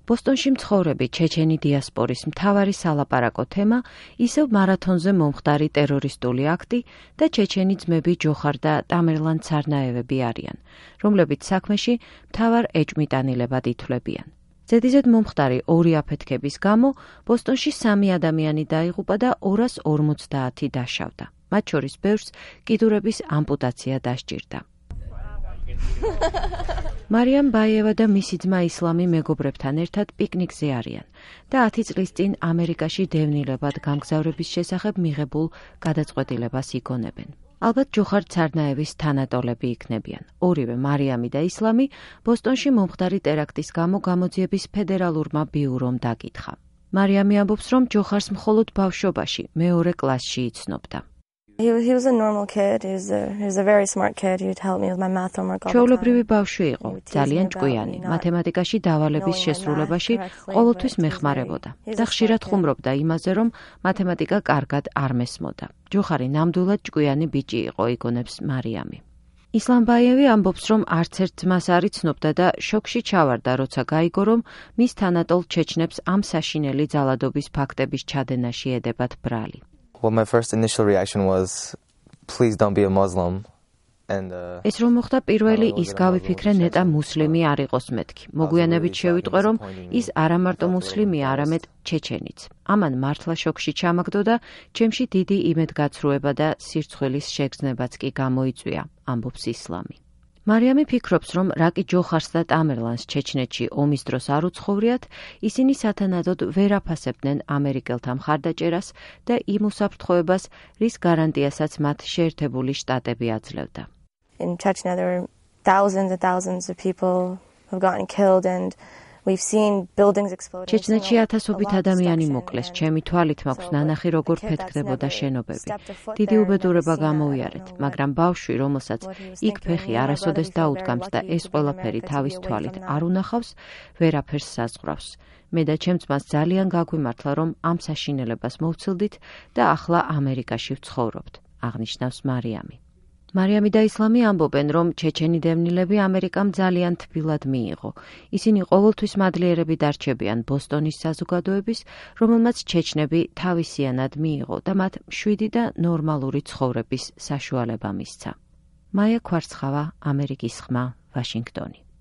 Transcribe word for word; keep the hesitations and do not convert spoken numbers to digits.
ბოსტონში მცხოვრები ჩეჩენი დიასპორის მთავარი სალაპარაკო თემა ისევ მარათონზე მომხდარი ტერორისტული აქტი და ჩეჩენი ძმები ჯოხარ და ტამერლან ცარნაევები არიან, რომლებიც საქმეში მთავარ ეჭვმიტანილებად ითვლებიან. ზედიზედ მომხდარი ორი აფეთქების გამო ბოსტონში სამი ადამიანი დაიღუპა და ორას ორმოცდაათი დაშავდა. მათ შორის ბევრს კიდურების ამპუტაცია დასჭირდა. მარიამ ბაიევა და მისი ძმა ისლამი მეგობრებთან ერთად პიკნიკზე არიან და ათი წლის წინ ამერიკაში დევნილებად გამგზავრების შესახებ მიღებულ გადაწყვეტილებას იგონებენ. ალბათ ჯოხარ ცარნაევის თანატოლები იქნებიან. ორივე მარიამი და ისლამი ბოსტონში მომხდარი ტერაქტის გამო გამოძიების ფედერალურმა ბიურომ დაკითხა. მარიამი ამბობს, რომ ჯოხარს მხოლოდ ბავშვობაში, მეორე კლასში იცნობდა. He was, he was a normal kid. He was a, he was a very smart kid. He would help me with my math homework all the time. ჩვეულებრივი ბავშვი იყო, ძალიან ჭკვიანი, მათემატიკაში დავალების შესრულებაში ყოველთვის მეხმარებოდა და ხშირად ხუმრობდა იმაზე, რომ მათემატიკა კარგად არ მესმოდა. ჯოხარი ნამდვილად ჭკვიანი ბიჭი იყო, იგონებს მარიამი. ისლამ ბაიევი ამბობს, რომ არც ერთ ძმას არ იცნობდა და შოკში ჩავარდა, როცა გაიგო, რომ მის თანატოლ ჩეჩნებს ამ საშინელი ძალადობის ფაქტების ჩადენაში ედებათ ბრალი. Well, my first initial reaction was, please don't be a Muslim. And uh, ეს რომ მოხდა პირველი ის გავიფიქრე ნეტა მუსლიმი არ იყოს მეთქი. მოგვიანებით შევიტყვე, რომ ის არა მარტო მუსლიმია, არამედ ჩეჩენიც. ამან მართლა შოკში ჩამაგდო და ჩემში დიდი იმედგაცრუება და სირცხვილის შეგრძნებაც კი გამოიწვია, ამბობს ისლამი. მარიამი ფიქრობს, რომ რაკი ჯოხარს და ტამერლანს ჩეჩნეთში ომის დროს არ უცხოვრიათ, ისინი სათანადოდ ვერ აფასებდნენ ამერიკელთა მხარდაჭერას და იმ უსაფრთხოებას, რის გარანტიასაც მათ შეერთებული შტატები აძლევდა. In Chechnya there were thousands and thousands of people who have gotten killed and we've seen buildings exploding. ჩეჩნეთში ათასობით ადამიანი მოკლეს. ჩემი თვალით მაქვს ნანახი, როგორ ფეთქდებოდა შენობები. დიდი უბედურება გამოუიარეთ, მაგრამ ბავშვი, რომელსაც იქ ფეხი არასოდეს დაუდგამს და ეს ყველაფერი თავის თვალით არ უნახავს, ვერაფერს საზღვრავს. მე და ჩემ ძმას ძალიან გაგვიმართლა, რომ ამ საშინელებას მოვცილდით და ახლა ამერიკაში ვცხოვრობთ, აღნიშნავს მარიამი. მარიამი და ისლამი ამბობენ, რომ ჩეჩენი დევნილები ამერიკამ ძალიან თბილად მიიღო. ისინი ყოველთვის მადლიერები დარჩებიან ბოსტონის საზოგადოების, რომელმაც ჩეჩნები თავისიანად მიიღო და მათ მშვიდი და ნორმალური ცხოვრების საშუალება მისცა. მაია ქვარცხავა, ამერიკის ხმა, ვაშინგტონი.